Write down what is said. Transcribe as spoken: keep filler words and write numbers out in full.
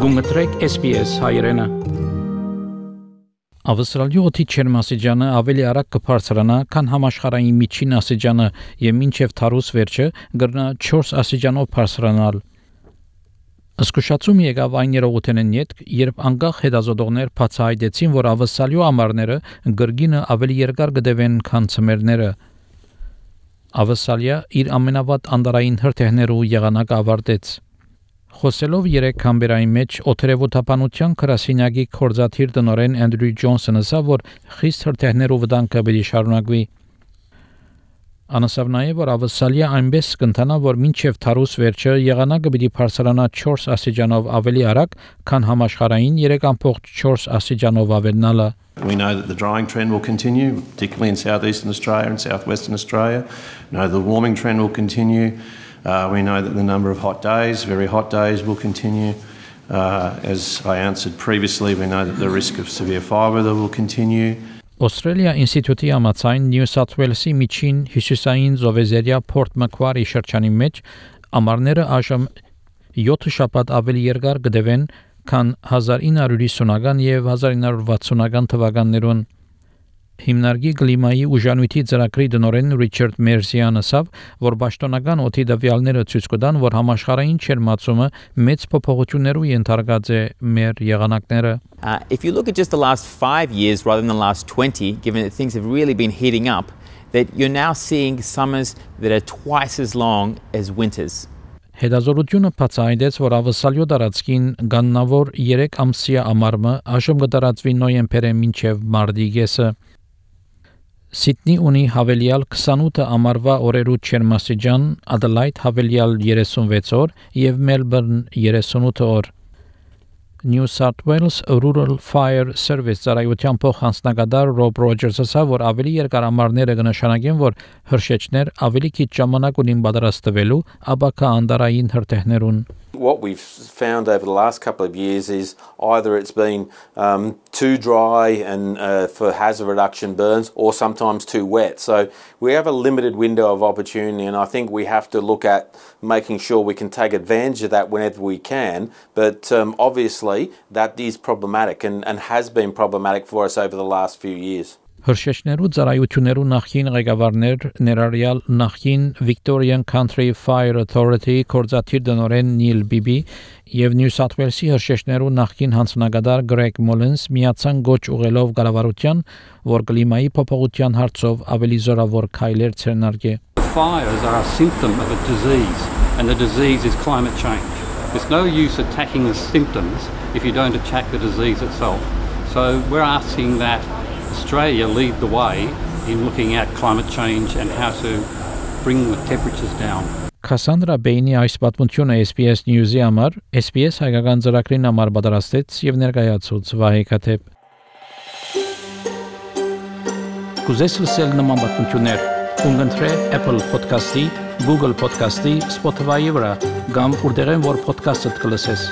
Գումտրեք S B S հայրենը։ Ավստրալիայի օդի ջերմաստիճանը ավելի արագ կբարձրանա, քան համաշխարհային միջին աստիճանը եւ մինչեւ թարուս վերջը կգրնա չորս աստիճանով բարձրանալ։ Զսկուշացում եկավ այն երողութենեն յետք, երբ անկախ հետազոտողներ բացահայտեցին, որ ավստրալիայի ամառները գրգինը ավելի երկար կդեվեն, քան ցմերները։ Ավստրալիա իր ամենավատ անդարային հրթիռներու եղանակը ավարտեց։ Խոսելով երեք կամբերայի մեջ օթերևութապանության գրասենյակի կորզաթիր տնօրեն Անդրյու Ջոնսոնը ասավ, որ խիստ հրթիռներու վտանգը պետք է շարունակվի։ Անասավ նաև, որ Ավստրալիա այնպես կընթանա, որ մինչև թարուս վերջը եղանակը պետք է բարձրանա չորս աստիճանով ավելի արագ, քան համաշխարհային երեք ամբողջ չորս աստիճանով ավելնալը։ We know that the drying trend will continue, particularly in southeastern Australia and southwestern Australia. We know the warming trend will continue. Uh, we know that the number of hot days, very hot days, will continue. Uh, as I answered previously, we know that the risk of severe fire weather will continue. Australia Institute-ի համաձայն New South Wales-ի միջին հյուսիսային Զովեզերիա Port Macquarie շրջանի մեջ ամառները այժմ յոթ շաբաթ ավելի երկար կդևեն, քան հազար ինը հարյուր հիսունական եւ հազար ինը հարյուր վաթսունական թվականներուն։ Հիմնարկի կլիմայի ուժանույթի ծրագրի տնօրեն Ռիչարդ Մերսիանը ասավ, որ պաշտոնական օդի տվյալները ցույց կտան, որ համաշխարհային ջերմացումը մեծ փոփոխություններու ենթարկած է մեր եղանակները։ Uh, if you look at just the last five years rather than the last twenty, given that things have really been heating up, that you're now seeing summers that are twice as long as winters. Հետազոտությունը բացահայտեց, որ ավսալյո տարածքին գաննավոր երեք ամսյա ամառը այժմ կդարածվի նոյեմբերին մինչև մարտի կեսը։ Սիդնի ունի հավելյալ քսանութ ամառվա օրերու ջերմաստիճան, Ադելայդ հավելյալ երեսունվեց օր եւ Մելբուրն երեսունութ օր։ New South Wales Rural Fire Service ծառայության փոխանցնագետար Rob Rogers ասավ, որ ավելի երկար ամառները կնշանակեն, որ հրշեջներ ավելի քիչ ժամանակ ունին պատրաստվելու, ապակա անդարային հրթիռներուն։ What we've found over the last couple of years is either it's been um, too dry and uh, for hazard reduction burns, or sometimes too wet. So we have a limited window of opportunity, and I think we have to look at making sure we can take advantage of that whenever we can. But um, obviously that is problematic and, and has been problematic for us over the last few years. Հրշեջներու ծառայություններու նախին ղեկավարներ ներառյալ նախին Victorian Country Fire Authority կորզաթիր տնօրեն Նիլ Բիբի եւ New South Wales-ի հրշեջներու նախին հանձնագետար Greg Mullins միացան գոչ ուղելով կառավարության, որ կլիմայի փոփոխության հարցով ավելի զորավոր քայլեր ցերնարգե։ Fires are a symptom of a disease, and the disease is climate change. There's no use attacking the symptoms if you don't attack the disease itself. So we're asking that Australia lead the way in looking at climate change and how to bring the temperatures down. Cassandra Bainey այս պատմությունը S B S News-ի համար S B S հայկական ծրագրին համար պատրաստեց եւ ներկայացուց Վահե Քաթեփ։ Կուզես լսել նման պատմություններ, կընտրե Apple Podcast-ի, Google Podcast-ի, Spotify-ի վրա, կամ որտեղեն որ podcast-ը կլսես։